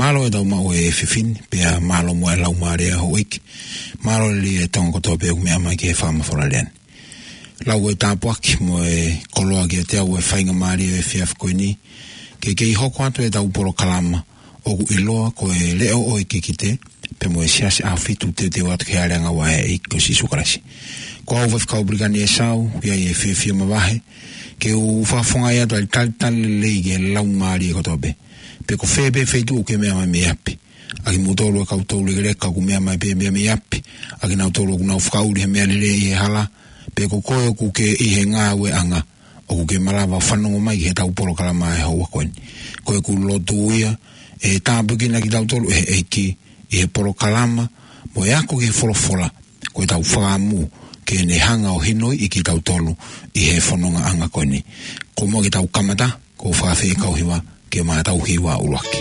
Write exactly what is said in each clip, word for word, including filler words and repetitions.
Mālō e tau maʻu e fefine, pea mālō mo e laumālie ʻa houʻeiki. Mālō lelei e Tonga kotoa pē ʻoku meʻa mai ki he fakamafola lea ni. Lau e tāpuaki mo e koloa kiate au e faingamālie ʻo e efiafi ko eni, ke kei hoko atu e tau polokalama ʻoku ʻiloa ko e Leʻo ʻo e Kikite, pea mo e Siasi ʻAhofitu Teuteu atu ki he Hale ʻAngaua ʻa e ʻEiki ko Sīsū Kalaisi. Ko au Faifekau Pilikani ʻEsau, ʻoku ʻi ai e fiefia mavahe ke u fakafofongaʻi atu ʻa e talitali lelei ki he laumālie kotoa pē. Pe ko fē pē feituʻu ʻoku ke meʻa mai mei ʻapi, ʻa kimoutolu e kau toulekeleka ʻoku meʻa mai pē mei ʻapi, ʻa kinautolu ʻoku nau fakaʻuli he meʻa lelei ʻi he hala, pe ko koe ʻoku ke ʻi he ngāueʻanga, ʻoku ke malava fanongo mai ki he tau polokalama ʻi he houa ko eni. Ko ʻeku lotu ia, ʻe tāpuekina kitautolu ʻe he ʻEiki ʻi he polokalama, mo e ako ki he folofola, ko e tau fakaʻamu ke ne hanga ʻo hinoiʻi kitautolu ʻi he fonongaʻanga ko eni. Ko e muʻa ke tau kamata, ʻoku ou fakaafeʻi e kau hiva ke ma tau hiva ʻuluaki.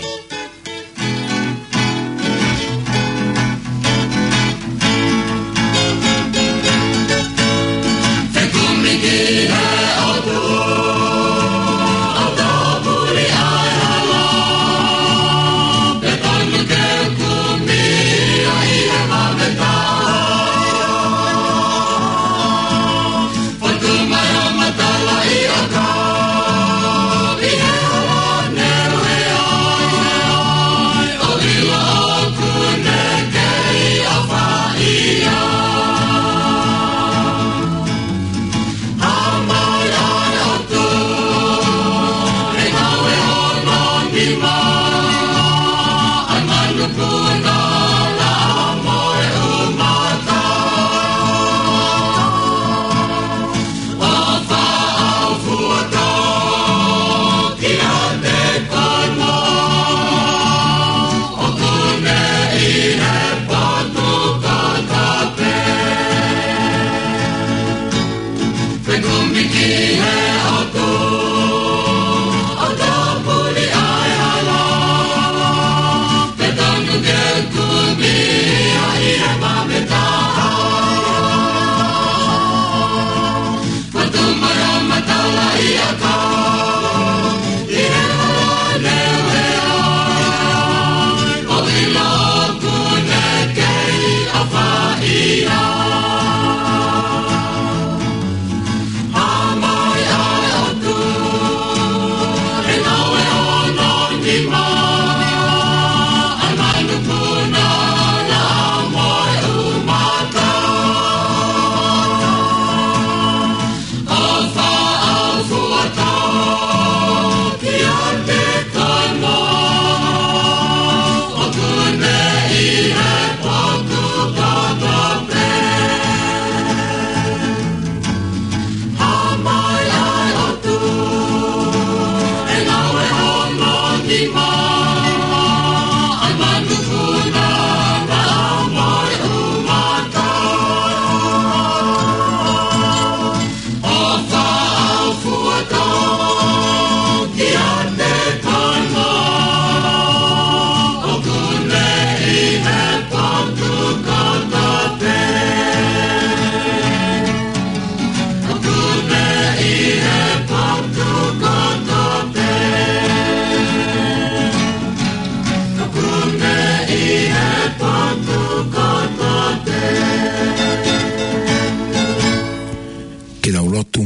Ke tau lotu.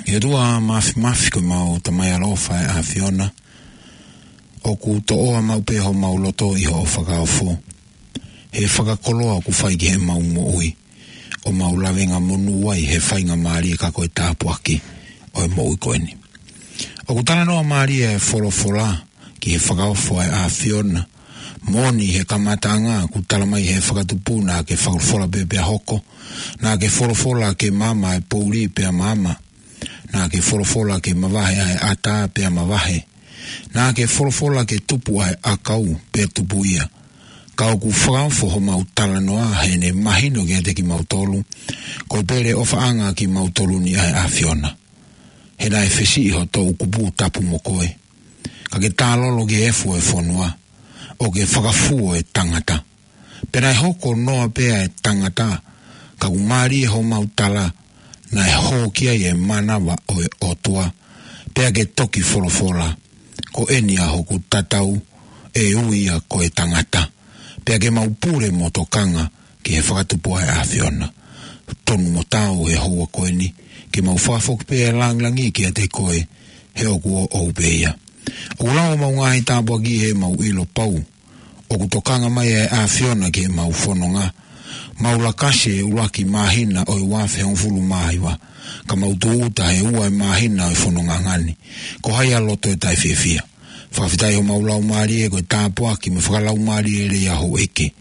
ʻE ʻOtua Māfimafi, ko homau Tamai ʻaloʻofa ʻa e ʻAfiona, ʻoku toʻoa maʻu pē homau loto ʻi hoʻo fakaofo, he fakakoloa ʻoku fai ki heʻemau moʻui, ʻo mau lavengamonū ai he faingamālie ka ko e tāpuaki ʻo e moʻui ko eni. ʻOku talanoa mālie e folofola ki he fakaofo ʻa e ʻAfiona. Moʻoni he kamataʻanga kuo tala mai he fakatupu naʻa ke folofola pē pea hoko. Naʻa ke folofola ke maama e poʻuli pea maama. Naʻa ke folofola ke mavahe ʻa e ʻatā pea mavahe. Naʻa ke folofola ke tupu ʻa e ʻakau pea tupu ia. Ka ʻoku fakaofo homau talanoa heʻene mahino kiate kimautolu ko e pele ʻofaʻanga kimautolu ni ʻa e ʻAfiona. He naʻe fesiʻi ho toʻukupu tapu mo koe, ka ke tālolo ki he efu ʻo e fonua, ʻo ke fakafuo e tangata. Pea naʻe hoko noa pē ʻa e tangata, ka kuo mālie homau tala, naʻe hō ki ai e mānava ʻo e ʻOtua, pea ke toki folofola, ko eni ʻa hoku tatau, ʻe ui ia ko e tangata, pea ke mau pule mo tokanga ki he fakatupu ʻa e ʻAfiona. Tonu mo tau he houa ko eni, ke mau fakafoki pē e langilangi kiate koe, he ʻoku ʻoʻou pē ia. ʻOku lau homau ngaahi tāpuaki he mau ʻilo pau, ʻoku tokanga mai ʻa e ʻAfiona ki he mau fononga. Mau lakasi he ʻuluaki māhina ʻo e ua afe hongofulu mā hiva, ka mau tūʻuta he ua e māhina ʻo e fononga ngani. Ko hai ʻa loto ʻe taʻefiefia. Fakafetaʻi homau laumālie ko e tāpuaki mo e fakalaumālie lelei ʻa houʻeiki.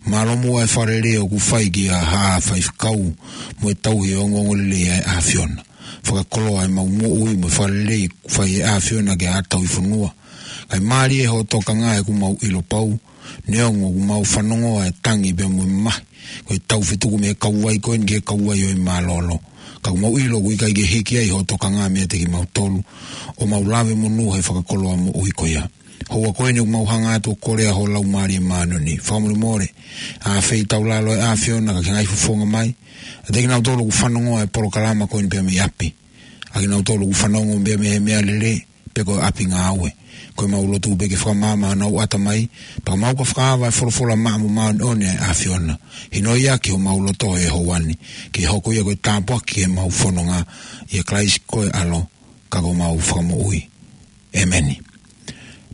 Mālō muʻa e fakalelei ʻoku fai kia Haʻa Faifekau mo e tauhi e ongoongolelei ʻa e ʻAfiona. Fakakoloa ʻemau moʻui mo e fakalelei ʻoku fai ʻe he ʻAfiona ki he ʻaho tauhi fonua. Kae mālie hoʻo tokanga he ʻoku mau ʻilo pau, neongo ʻoku mau fanongoa e tangi pea mo e mamahi, ko e tau fetuku mei he kauvai ko eni ki he kauvai ʻo e mālōlō. Ka ʻoku mau ʻilo ʻoku ʻikai ke hiki ai hoʻo tokanga meiate kimautolu, ʻo mau lave monū he fakakoloa moʻui ko ia. Houa ko eni ʻoku mau hanga atu ʻo kole ʻa ho Laumālie Māʻoniʻoni. Fakamolemole, ʻa e feitaulalo ʻa e ʻAfiona ka ke ngaahi fofonga mai, ʻiate kinautolu ʻoku fanongoa e polokalama ko eni pea mei ʻapi. ʻA kinautolu ʻoku fanongo pea mei he meʻalele, pe ko e ʻapi ngāue. Ko ʻemau lotu pē ke fakamaama honau ʻatamai, pea mau ka fakaava e folofola maʻa mo māʻoniʻoni ʻa e ʻAfiona. Hinoʻi ʻaki homau loto he houa ni, ke hoko ia ko e tāpuaki ki heʻemau fononga, ʻia Kalaisi ko e ʻAlo, ka ko homau Fakamoʻui. ʻĒmeni.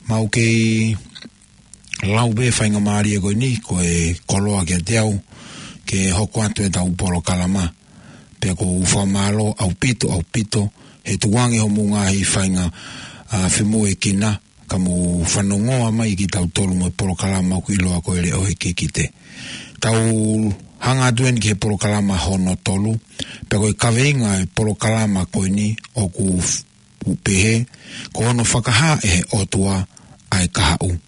Mau kei lau pē faingamālie ko eni, ko e koloa kiate au, ke hoko atu ʻetau polokalama, pea ʻoku ou fakamālō ʻaupito, ʻaupito, he tuku ange hoʻomou ngaahi fainga, ʻa, femoʻuekina, ka mou fanongoa mai kitautolu mo e polokalama ʻoku ʻiloa ko e Leʻo he Kikite. Tau hanga atu eni ki he polokalama hono tolu, pea ko e kaveinga e polokalama ko eni ʻoku f-, ʻoku pehē, ko hono fakahā ʻe he ʻOtua ʻa e kahaʻu.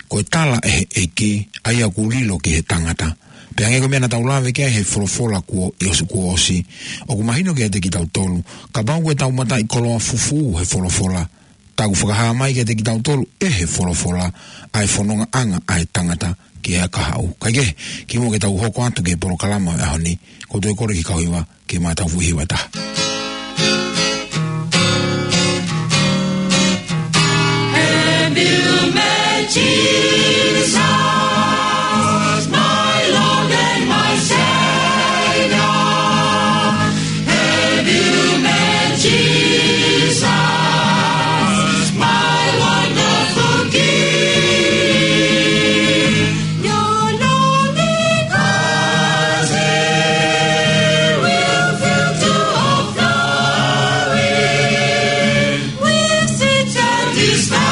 Ko e tala ʻe he ʻEiki, ʻa ia ʻoku lilo ki he tangata. Pea hangē ko e meʻa naʻa tau lave ki ai he folofola kuo, ʻi ʻosi kuo ʻosi, ʻoku mahino kiate kitautolu, kapau ko ʻetau mataʻikoloa fufū he folofola, tā ʻoku fakahā mai kiate kitautolu ʻe he folofola, ʻa e fonongaʻanga ʻa e tangata ki he kahaʻu. Kae kehe, kimuʻa ke tau hoko atu ki he polokalama ʻo e ʻaho ni, ʻoku ou toe kole ki he kau hiva, ke ma tau fuʻu hiva ʻe taha. Have you met Jesus, my Lord and my Savior? Have you met Jesus, my wonderful King? Your lonely cross He will fill to overflowing with sweet satisfaction.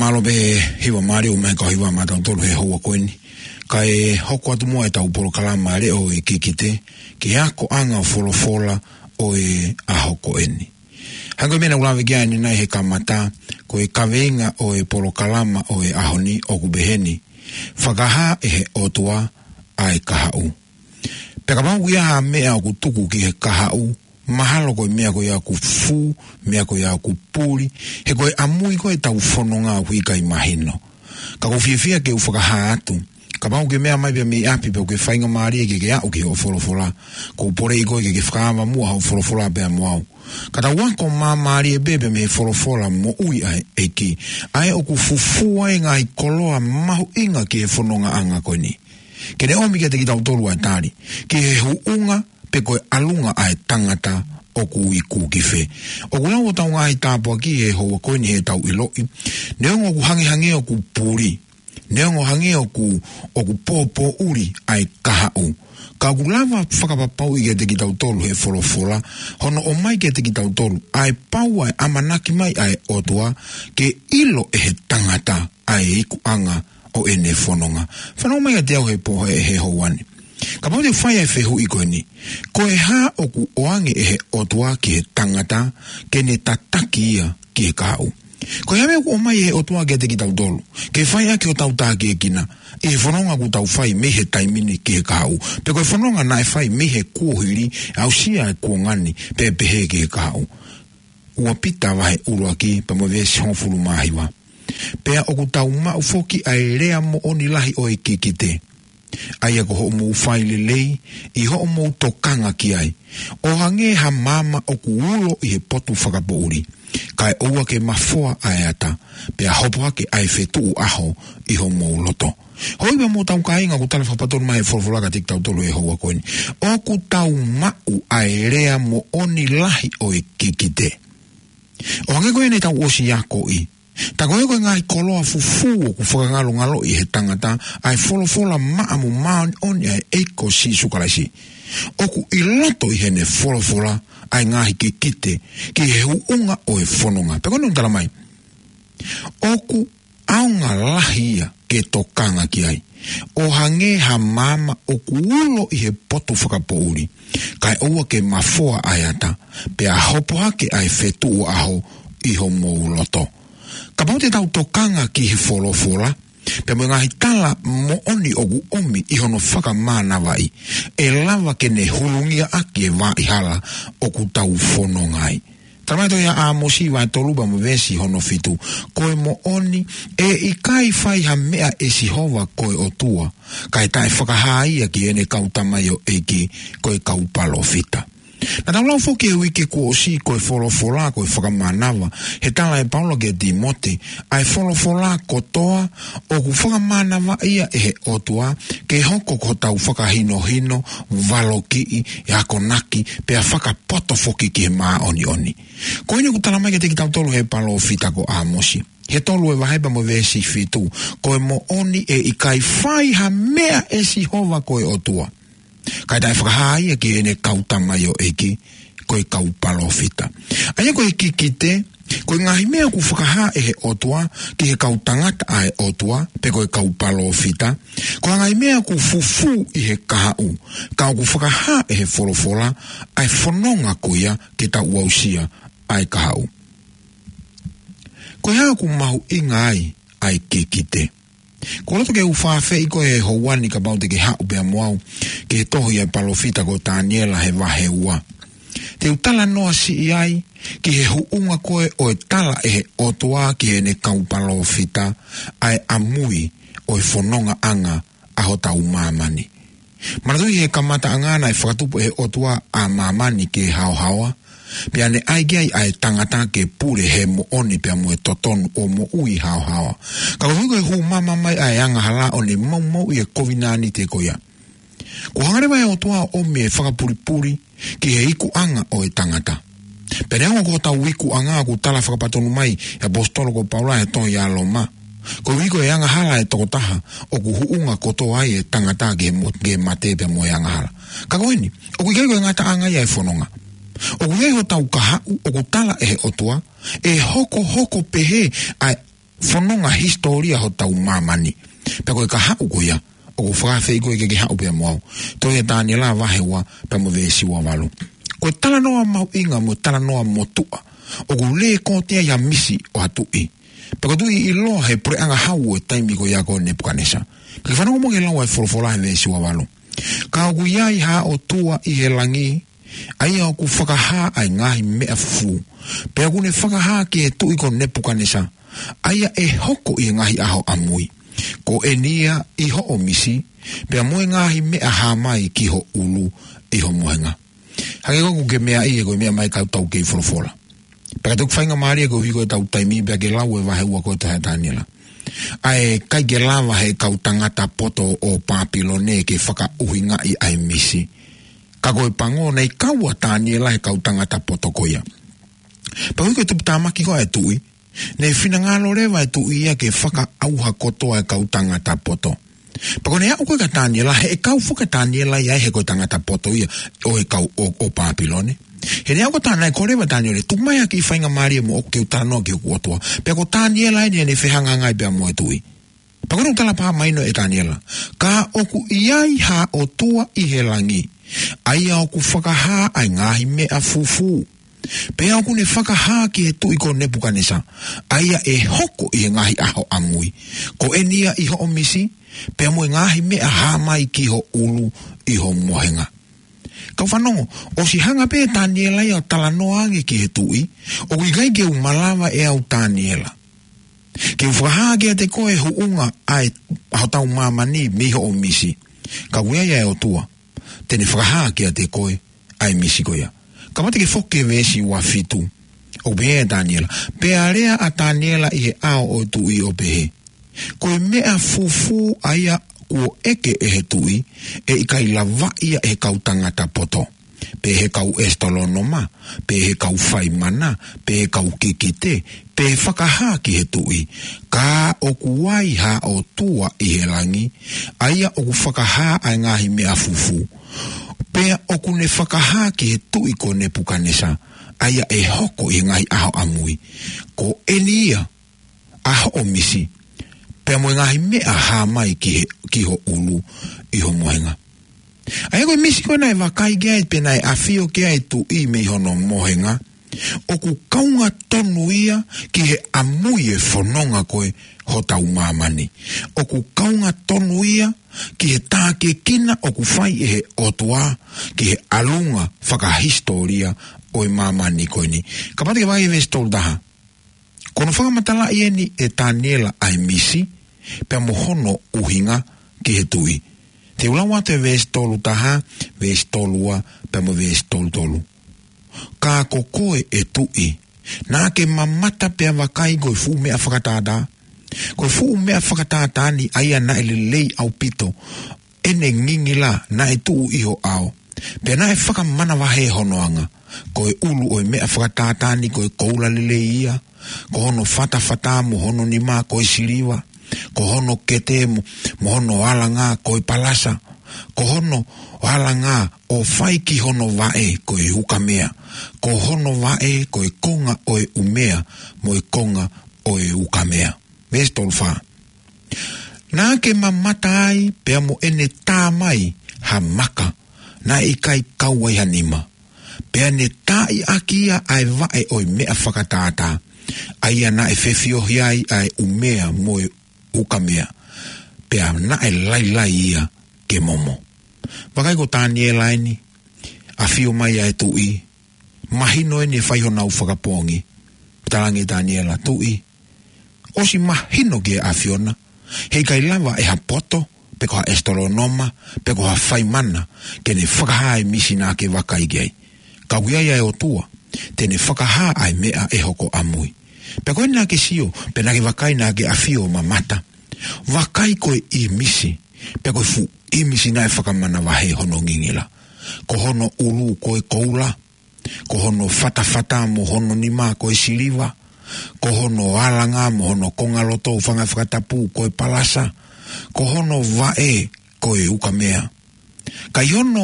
Mālō pē hiva mālie ʻo e meʻa ka hiva maʻatautolu he houa ko eni. Kae hoko atu muʻa ʻetau polokalama leʻo e kikite, ki he akoʻanga folofola ʻo e ʻaho ko eni. Hangē ko e meʻa naʻa ku lave ki ai ʻanenai he kamata, ko e kaveinga ʻo e polokalama ʻo e ʻaho ni ʻoku pehē ni: Fakahā ʻe he ʻOtua ʻa e kahaʻu. Pea kapau ʻoku ʻi ai ha meʻa ʻoku tuku ki he kahaʻu, mahalo ko e meʻa ko ia ʻoku fū, meʻa ko ia ʻoku puli, he ko e ʻamui ko ē ʻetau fononga ʻoku ʻikai mahino. Ka ʻoku ou fiefia ke u fakahā atu, kapau ʻoku ke meʻa mai pē mei ʻapi pea ʻoku ke faingamālie ke ke aʻu ki hoʻo folofola, ʻoku ou poleʻi koe ke ke fakaava muʻa hoʻo folofola pea mo au. Ka tau ako māmālie pē pea mei he folofola moʻui ʻa e ʻEiki, ʻa ē ʻoku fufū ai e ngaahi koloa mahuʻinga ki he fonongaʻanga ko eni. Ke ne ʻomi kiate kitautolu ʻa e tali ki he huʻunga pe ko e ʻalunga ʻa e tangata ʻoku iku ki fē. ʻOku lau hotau ngaahi tāpuaki he houa ko eni heʻetau ʻiloʻi, neongo ʻoku hangehangē ʻoku puli, neongo hangē ʻoku, ʻoku pōpōʻuli ʻa e kahaʻu, ka ʻoku lava fakapapauʻi kiate kitautolu he folofola, hono ʻomai kiate kitautolu ʻa e pau ʻa e ʻamanaki mai ʻa e ʻOtua ke ʻilo ʻe he tangata ʻa e ikuʻanga ʻo ʻene fononga. Fanongo mai kiate au he pō he, he houa ni. Kapau te u fai ʻa e fehuʻi ko eni: Ko e hā ʻoku ʻoange ʻe he ʻOtua ki he tangata ke ne tataki ia ki he kahaʻu? Ko e hā e meʻa ʻoku ʻomai ʻe he ʻOtua kiate kitautolu ke fai ʻaki hotau tākiekina ʻi he fononga ʻoku tau fai mei he taimi ni ki he kahaʻu, pe ko e fononga naʻe fai mei he kuohili, aʻusia e kuonga ni, pea pehē ki he kahaʻu? Ua Pita vahe ʻuluaki pea mo e veesi hongofulu mā hiva. Pea ʻoku tau maʻu foki ʻa e lea moʻoni lahi ʻo e kikite, ʻa ia ko hoʻomou fai lelei ʻi hoʻomou tokanga ki ai, ʻo hangē ha maama ʻoku ulo ʻi he potu fakapoʻuli, kae ʻoua ke mafoa ʻa e ata, pea hopo hake ʻa e fetuʻu ʻaho ʻi homou loto. Hoi pea mo hotau kāinga, ʻoku tala fakapatonu mai he folofola kiate kitautolu he houa ko eni, ʻoku tau maʻu ʻa e lea moʻoni lahi ʻo e kikite. ʻO hangē ko eni ʻetau ʻosi akoʻi, tā ko ē ko e ngaahi koloa fufū ʻoku fakangalongaloʻi ʻe he tangata ʻa e folofola maʻa mo māʻoniʻoni ʻa e ʻEiki ko Sīsū Kalaisi. ʻOku ʻi loto ʻi heʻene folofola ʻa e ngaahi kikite ki he huʻunga ʻo e fononga. Pea ko eni ʻoku tala mai, ʻoku ʻaonga lahi ia ke tokanga ki ai, ʻo hangē ha maama ʻoku ulo ʻi he potu fakapoʻuli, kae ʻoua ke mafoa ʻa e ata, pea hopo hake ʻa e fetuʻu ʻaho ʻi homou loto. Kapau te tau tokanga ki he folofola pea mo e ngaahi tala moʻoni ʻoku ʻomi ʻi hono fakamānavaʻi, ʻe lava ke ne hulungia ʻaki e vaʻa hala ʻoku tau fononga ai. Tala mai tohi ʻa ʻĀmosi vahe tolu pea mo e veesi hono fitu: Ko e moʻoni, ʻe ʻikai fai ha meʻa ʻe Sihova ko e ʻOtua kae taʻe fakahā ia ki heʻene kau tamaioʻeiki, ko e kau palōfita. Naʻa tau lau foki he uike kuo ʻosi ko e folofola ko e fakamānava, he tala ʻe Paula kia Tīmote, ʻa e folofola kotoa ʻoku fakamānavaʻia ʻe he ʻOtua ke hoko ko hotau fakahinohino, valokiʻi, akonaki, pea fakapoto foki ki he māʻoniʻoni. Ko eni ʻoku tala mai kiate kitautolu he palōfita ko ʻĀmosi he tolu e vahe pea mo e veesi fitu: Ko e moʻoni, ʻe ʻikai fai ha meʻa ʻe Sihova ko e ʻOtua kae taʻe fakahā ia ki heʻene kau tamaioʻeiki, ko e kau palōfita. ʻA ia ko e kikite, ko e ngaahi meʻa ʻoku fakahā ʻe he ʻOtua ki he kau tangata ʻa e ʻOtua, pe ko e kau palōfita, ko e ngaahi meʻa ʻoku fufū ʻi he kahaʻu, ka ʻoku fakahā ʻe he folofola ʻa e fononga ko ia ke tau aʻusia ʻa e kahaʻu. Ko e hā ʻoku mahuʻinga ai ʻa e kikite? ʻOku ou loto ke u fakaafeʻi koe he houa ni kapau te ke haʻu pea mo au ki he tohi ʻa e palōfita ko Taniela he vahe ua. Te u talanoa siʻi ai ki he huʻunga ko ē ʻo e tala ʻe he ʻOtua ki heʻene kau palōfita ʻa e ʻamui ʻo e fonongaʻanga ʻa hotau māmani. Manatuʻi he kamataʻanga naʻe fakatupu ʻe he ʻOtua ʻa māmani ke haohaoa, pea ne ʻai ki ai ʻa e tangata ke pule he moʻoni pea mo e totonu ʻo moʻui haohaoa. Ka koeʻuhi ko e hū maama mai ʻa e angahala ʻo ne maumauʻi e kovinānite ko ia, kuo hanga leva ʻe he ʻOtua ʻo ʻomi e fakapulipuli ki he ikuʻanga ʻo e tangata. Pea neongo ko hotau ikuʻanga, ʻoku tala fakapatonu mai ʻe he ʻaposetolo ko Paula he tohi ʻa Loma, koeʻuhi ko e angahala ʻa e tokotaha ʻoku huʻunga kotoa ai e tangata ki he mo-, ki he mate pea mo e angahala. Ka ko eni, ʻoku ʻikai ko e ngataʻanga ia e fononga. ʻOku ʻi ai hotau kahaʻu ʻoku tala ʻe he ʻOtua ʻe hokohoko pehē ʻa e fononga hisitōlia hotau māmani. Pea ko e kahaʻu ko ia, ʻoku fakaafeʻi koe ke ke haʻu pea mo au. Tohi ʻa Taniela vahe ua pea mo e veesi ua valu. Ko e talanoa mahuʻinga mo e talanoa motuʻa, ʻoku lēkooti ai ha misi ʻo ha tuʻi. Pea ko e tuʻi ʻiloa he puleʻanga hau ʻo e taimi ko ia ko Nepukanesa. Ka ke fanongo mo ke lau ʻa e folofola he veesi ua valu. Ka ʻoku ʻi ai ha ʻOtua ʻi he langi, ʻa ia ʻoku fakahā ʻa e ngaahi meʻa fufū. Pea ʻoku ne fakahā ki he tuʻi ko Nepukanesa, ʻa ia ʻe hoko ʻi he ngaahi ʻaho ʻamui. Ko eni ia ʻi hoʻo misi, pea mo e ngaahi meʻa hā mai ki ho ʻulu ʻi ho mohenga. Hangē ko ē ʻoku ke meaʻi ʻe koe meʻa mai kau tau kei folofola. Pea ka toki faingamālie koeʻuhi ko ʻetau taimi pea ke lau e vahe ua ko ē Tohi ʻa Taniela. ʻA e ʻikai ke lava he kau tangata poto ʻo Pāpilone ke fakaʻuhingaʻi ʻa e misi. Ka ko e pango naʻe kau ʻa Taniela he kau tangata poto ko ia. Pea ʻoku ʻi ai ko e tuputāmaki ko ē ʻa e tuʻi, naʻe finangalo leva e tuʻi ia ke fakaʻauha kotoa e kau tangata poto. Pea ko ʻene aʻu ko ē kia Taniela, he ʻe kau foki ʻa Taniela ia he ko e tangata poto ia ʻo e kau ʻo, ʻo Pāpilone. He naʻe aʻu ko ē ʻa Taniela, ko e leva Taniela, tuku mai ha kiʻi faingamālie moʻoku ke u talanoa ki hoku ʻOtua. Pea ko Taniela eni ʻene fehangahangai pea mo e tuʻi. Pea ko ʻene talapā mai ʻe Taniela. Ka ʻoku ʻi ai ha ʻOtua ʻi he langi, ʻa ia ʻoku fakahā ʻa e ngaahi meʻa fufū. Pea ʻoku ne fakahā ki he tuʻi ko Nepukanesa, ʻa ia ʻe hoko ʻi he ngaahi ʻaho ʻamui. Ko eni ia ʻi hoʻo misi, pea mo e ngaahi meʻa hā mai ki ho ʻulu ʻi ho mohenga. Kau fanongo, ʻosi hanga pē ʻe Taniela ia ʻo talanoa ange ki he tuʻi, ʻoku ʻikai ke u malava ʻe au Taniela ke u fakahā kiate koe e huʻunga ʻa e, ʻa hotau māmani mei hoʻo misi. Ka ʻoku ʻi ai ʻa e ʻOtua te ne fakahā kiate koe ʻa e misi ko ia. Kamata ke foki ki he veesi ua fitu. ʻOku pehē ʻe Taniela. Pea lea ʻa Taniela ʻi he ʻao ʻo e tuʻi ʻo pehē, ko e meʻa fufū ʻa ia kuo ʻeke ʻe he tuʻi, ʻe ʻikai lavaʻi ia ʻe he kau tangata poto, pe he kau ʻesitolonoma, pe he kau faimana, pe he kau kikite, pe fakahā ki he tuʻi. Ka ʻoku ʻi ai ha ʻOtua ʻi he langi, ʻa ia ʻoku fakahā ʻa e ngaahi meʻa fufū. Pea ʻoku ne fakahā ki he tuʻi ko Nepukanesa, ʻa ia ʻe hoko ʻi he ngaahi ʻaho ʻamui. Ko eni ia ʻa hoʻo misi, pea mo e ngaahi meʻa hā mai ki he, ki ho ʻulu ʻi ho mohenga. ʻA ia ko e misi ko ē naʻe vakai ki ai, pe naʻe ʻafio ki ai e tuʻi mei hono mohenga, ʻoku kaunga tonu ia ki he ʻamui e fononga ko ē hotau māmani. ʻOku kaunga tonu ia ki he tākiekina ʻoku fai ʻe he ʻOtua ki he ʻalunga fakahisitōlia ʻo e māmani ko eni. Kamata ke vakai veesi tolu taha. Ko hono fakamatalaʻi eni ʻe Taniela ʻa e misi, pea mo hono ʻuhinga ki he tuʻi. Te u lau atu e veesi tolu taha, veesi tolu ua, pea mo e veesi tolu tolu. Ka ko koe ʻe tuʻi, naʻa ke mamata pea vakai ko e fuʻu meʻa fakatātā. Ko e fuʻu meʻa fakatātā ni ʻa ia naʻe lelei ʻaupito ʻene ngingila naʻe tuʻu ʻi ho ʻao. Pea naʻe fakamanavahē hono anga. Ko e ʻulu ʻo e meʻa fakatātā ni ko e koula lelei ia. Ko hono fatafata mo hono nima ko e siliva. Ko hono kete mo, mo hono alanga ko e palasa. Ko hono alanga ʻo fai ki hono vaʻe ko e ukamea. Ko hono vaʻe ko e konga ʻo e ʻumea mo e konga ʻo e ukamea. Veesi tolu fā. Naʻa ke mamata ai pea mo ʻene tā mai ha maka naʻe ʻikai kau ai ha nima. Pea ne taaʻi ʻaki ia ʻa e vaʻe ʻo e meʻa fakatātā, ʻa ia naʻe fefiohi ai ʻa e ʻumea mo e ukamea. Pea naʻe lailai ia ke momo. Vakai ko Taniela eni, ʻafio mai ʻa e tuʻi, mahino eni ʻe fai honau fakapoongi. Talaange ʻe Taniela, tuʻi, ʻosi mahino ki he ʻAfiona, he ʻikai lava ʻe ha poto, pe ko ha ʻesitolonoma, pe ko ha faimana, ke ne fakahā e misi naʻa ke vakai ki ai. Ka ʻoku ʻi ai ʻa e ʻOtua, te ne fakahā ʻa e meʻa ʻe hoko ʻamui. Pea ko eni naʻa ke sio, pea naʻa ke vakai naʻa ke ʻafio ʻo mamata. Vakai ko e ʻīmisi, pea ko e fuʻu ʻīmisi naʻe fakamanavahē hono ngingila. Ko hono ʻulu ko e koula, ko hono fatafata mo hono nima ko e siliva, ko hono alanga mo hono kongaloto ʻo fanga fakatapu ko e palasa, ko hono vaʻe ko e ukamea. Ka ʻi hono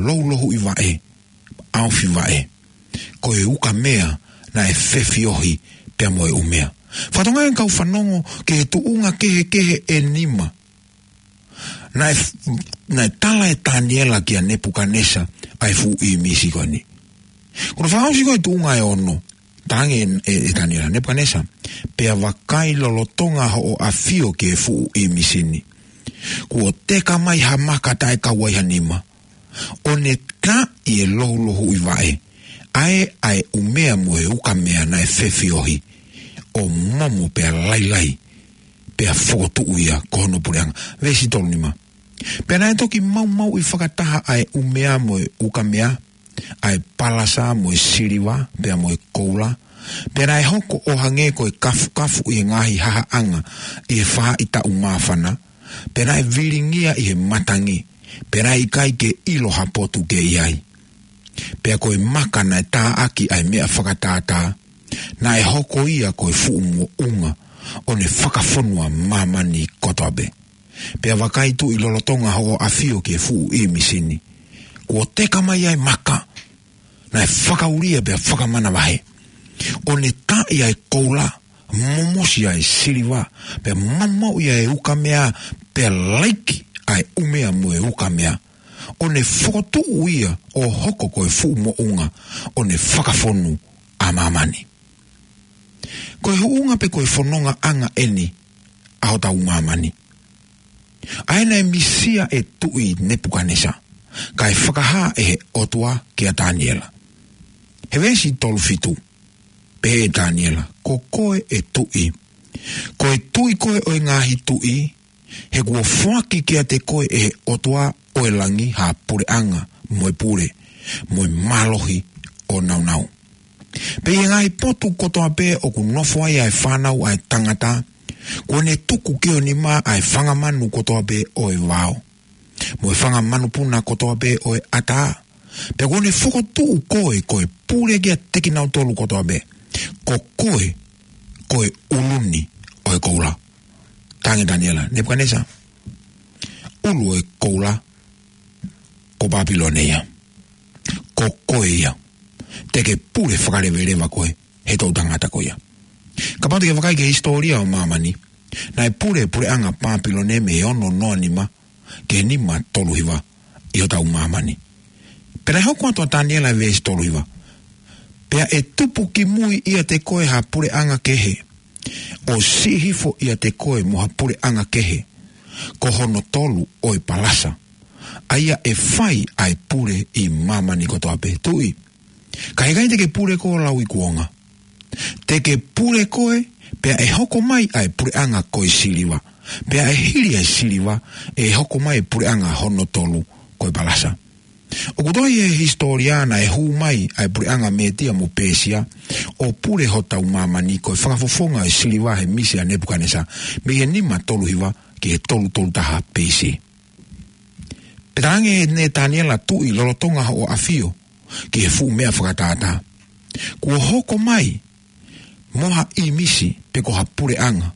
loulouhiʻi vaʻe, ʻaofi vaʻe, ko e ukamea naʻe fefiohi pea mo e ʻumea. Fatongia e kau fanongo ki he tuʻunga kehekehe ʻe nima naʻe, naʻe tala ʻe Taniela kia Nepukanesa ʻa e fuʻu ʻīmisi ko eni. Ko hono fakaʻosi ko e tuʻunga ʻe ono, talaange ʻe, ʻe, ʻe Taniela, Nepukanesa, pea vakai lolotonga hoʻo ʻafio ki he fuʻu ʻīmisi ni, kuo teka mai ha maka taʻe kau ai ha nima, ʻo ne taaʻi e lohulohuʻi vaʻe, ʻa e, ʻa e ʻumea mo e ukamea naʻe fefiohi, ʻo momo pea lailai, pea fokotuʻu ia ko hono puleʻanga. Veesi tolu nima. Pea naʻe toki maumauʻi fakataha ʻa e ʻumea mo e ukamea, ʻa e palasa mo e siliva, pea mo e koula. Pea naʻe hoko ʻo hangē ko e kafukafu ʻi he ngaahi hahaʻanga ʻi he faʻahitaʻu māfana. Pea naʻe vilingia ʻi he matangi. Pea naʻe ʻikai ke ʻilo ha potu ke ʻi ai. Pea ko e maka naʻe taaʻaki ʻa e meʻa fakatātā, naʻe hoko ia ko e fuʻu moʻunga, ʻo ne fakafonu ʻa māmani kotoa pē. Pea vakai, tuʻi, lolotonga hoʻo ʻafio ki he fuʻu ʻīmisi ni, kuo teka mai ʻa e maka naʻe fakaulia pea fakamanavahē, ʻo ne taaʻi ʻa e koula, momosi ʻa e siliva, pea maumauʻi ʻa e ukamea, pea laiki ʻa e ʻumea mo e ukamea, ʻo ne fokotuʻu ia ʻo hoko ko e fuʻu moʻunga, ʻo ne fakafonu ʻa māmani. Ko e huʻunga pe ko e fonongaʻanga ʻeni ʻa hotau māmani, ʻa ē naʻe misia ʻe Tuʻi Nepukanesa, kae fakahā ʻe he ʻOtua kia Taniela. He veesi tolu fitu, pehē ʻe Taniela, ko koe ʻe Tuʻi, ko e Tuʻi koe ʻo e ngaahi tuʻi, he kuo foaki kiate koe ʻe he ʻOtua ʻo e langi ha puleʻanga, mo e pule, mo e mālohi ʻo nāunau. Pea ʻi he ngaahi potu kotoa pē ʻoku nofo ai ʻa e fānau ʻa e tangata, kuo ne tuku ki ho nima ʻa e fanga manu kotoa pē ʻo e vao, mo e fanga manupuna kotoa pē ʻo e ʻatā. Pea kuo ne fokotuʻu koe ko e pule kiate kinautolu kotoa pē. Ko koe, ko e ʻulu ni ʻo e koula. Talaange ʻe Taniela, Nepukanesa, ʻulu ʻo e koula ko Pāpilone ia. Ko koe ia. Te ke pule fakaleveleva koe he toʻutangata ko ia. Kapau te ke vakai ki he hisitōlia ʻo māmani, naʻe pule e puleʻanga Pāpilone mei he ono noa nima ki he nima tolu hiva ʻi hotau māmani. Pea naʻe hoko atu ʻa Taniela he veesi tolu hiva. Pea ʻe tupu ki mui ʻiate koe ha puleʻanga kehe, ʻo siʻi hifo ʻiate koe mo ha puleʻanga kehe, ko hono tolu ʻo e palasa, ʻa ia ʻe fai ʻa e pule ʻi māmani kotoa pē. Tuʻi, ka ʻikai te ke pule koe ʻo lau ʻi kuonga. Te ke pule koe, pea ʻe hoko mai ʻa e puleʻanga ko e siliva. Pea ʻe hili ʻa e siliva, ʻe hoko mai e puleʻanga hono tolu ko e palasa. ʻOku tohi he hisitōlia naʻe hū mai ʻa e puleʻanga Mētia mo Pēsia ʻo pule hotau māmani ko e fakafofonga ʻo e siliva he misi ʻa Nepukanesa, mei he nima tolu hiva ki he tolu tolu taha B.C. Pea talaange ʻe Taniela, tuʻi, lolotonga hoʻo ʻafio ki he fuʻu meʻa fakatātā, kuo hoko mai mo ha ʻīmisi pe ko ha puleʻanga.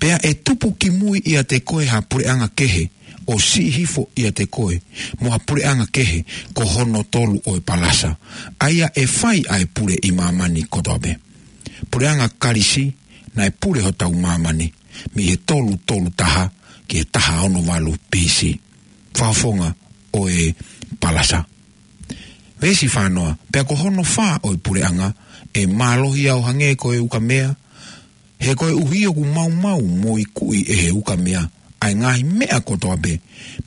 Pea ʻe tupu ki mui ʻiate koe ha puleʻanga kehe, ʻo siʻi hifo ʻiate koe mo ha puleʻanga kehe, ko hono tolu ʻo e palasa, ʻa ia ʻe fai ʻa e pule ʻi māmani kotoa pē. Puleʻanga Kalisi naʻe pule hotau māmani mei he tolu tolu taha ki he taha ono valu B.C. Fakafofonga ʻo e palasa. Veesi fā noa, pea ko hono fā ʻo e puleʻanga, ʻe mālohi ia ʻo hangē ko e ukamea, he koeʻuhi ʻoku maumau mo ikuʻi ʻe he ukamea ʻa e ngaahi meʻa kotoa pē,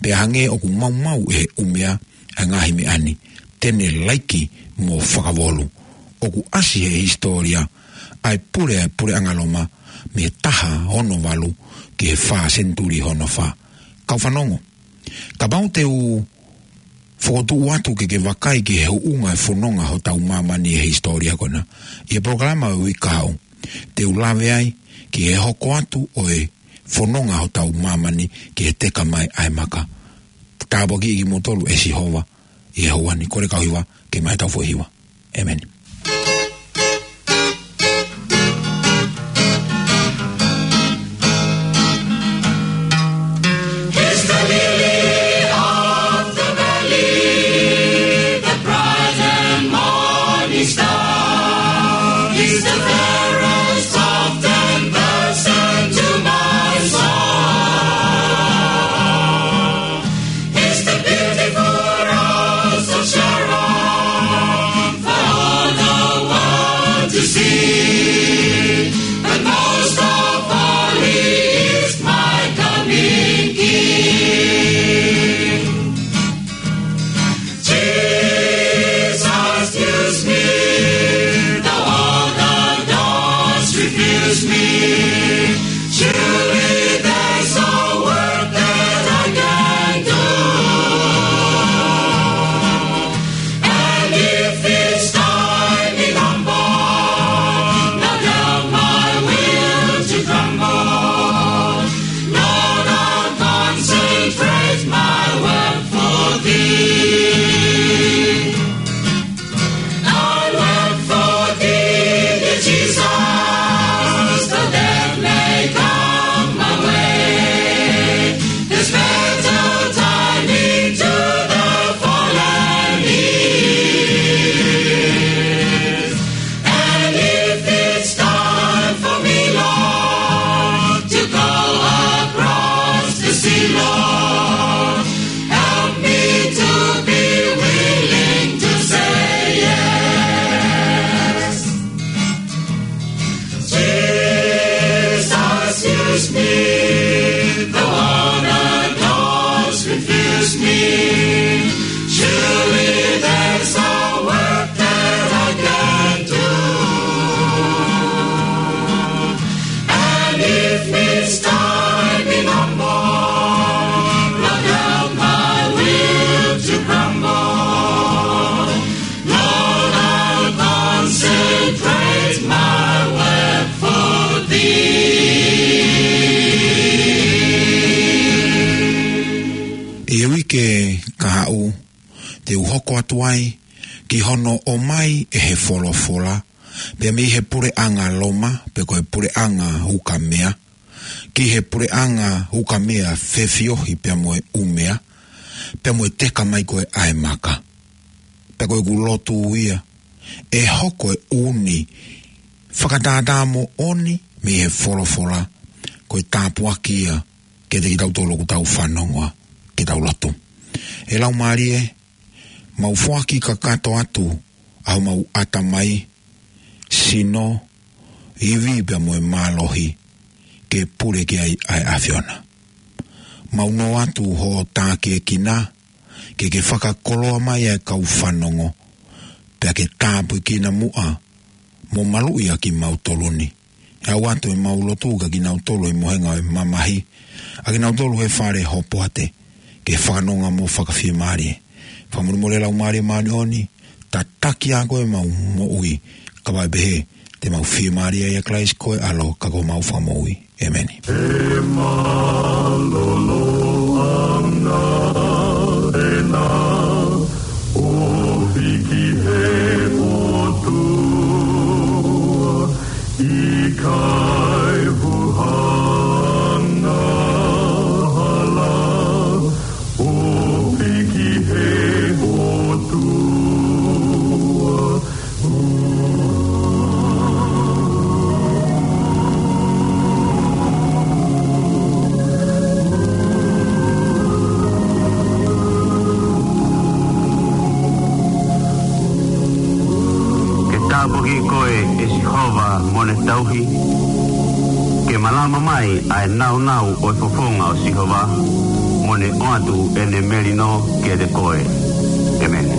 pea hangē ʻoku maumau ʻe he ʻumea ʻa e ngaahi meʻa ni, te ne laiki mo fakavolu. ʻOku ʻasi he hisitōlia ʻa e pule ʻa e puleʻanga Loma mei he taha ono valu ki he fā, senituli hono fā. Kau fanongo, kapau te u fokotuʻu atu ke ke vakai ki he huʻunga e fononga hotau māmani he hisitōlia ko ena ʻi he polokalama ʻo e uike kahaʻu, te u lave ai ki he hoko atu ʻo e fononga hotau māmani ki he teka mai ʻa e maka. Tāpuakiʻi kimoutolu ʻe Sihova ʻi he houa ni. Kole kau hiva ke mai tau foʻi hiva. ʻĒmeni. He's the lily of the valley, the bright and morning star. He's the Surely there's a work that I can do. And if it's time in humble, Lord, help my will to grumble. Lord, I'll consecrate my work for thee. ʻI he uike kahaʻu, te u hoko atu ai ki hono ʻomai ʻe he folofola, pea mei he puleʻanga Loma, pe ko e puleʻanga Ukamea, ki he puleʻanga Ukamea fefiohi pea mo e ʻumea, pea mo e teka mai ko ē ʻa e maka. Pea ko ʻeku lotu ia, ʻe hoko e ʻū fakataha moʻoni mei he folofola, ko e tāpuaki ia kiate kitautolu ʻoku tau fanongo, ke tau lotu. ʻE Laumālie, mau foaki kakato atu ʻa homau ʻatamai, sino, ivi pea mo e mālohi, ke pule ki ai ʻa e ʻAfiona. Mau nō atu hoʻo tākiekina, ke ke fakakoloa mai ʻa e kau fanongo, pea ke tāpuekina muʻa mo maluʻi ʻa kimautolu ni. ʻE ʻoatu ʻemau lotu kia kinautolu ʻi he mohenga ʻo e mamahi, ʻa kinautolu he fale hopoate, ke fakanonga mo fakafiemālie. Fakamolemole Laumālie Māʻoniʻoni, tataki ʻa koe ʻemau moʻui, kae pehē te mau fiemālie ʻia Kalaisi ko e ʻAlo ka ko homau Fakamoʻui. ʻĒmeni. ʻE mālōlō ʻa e ʻOtua, ʻo hiki he ʻOtua, ʻikai huhanga hala, ʻo hiki he ʻOtua. Ke tāpuaki koe ʻe Sihova mo ne tauhi, ke malama mai ʻa e nāunau ʻo e fofonga ʻo Sihova, mo ne ʻoatu ʻene melino kiate koe. ʻĒmeni.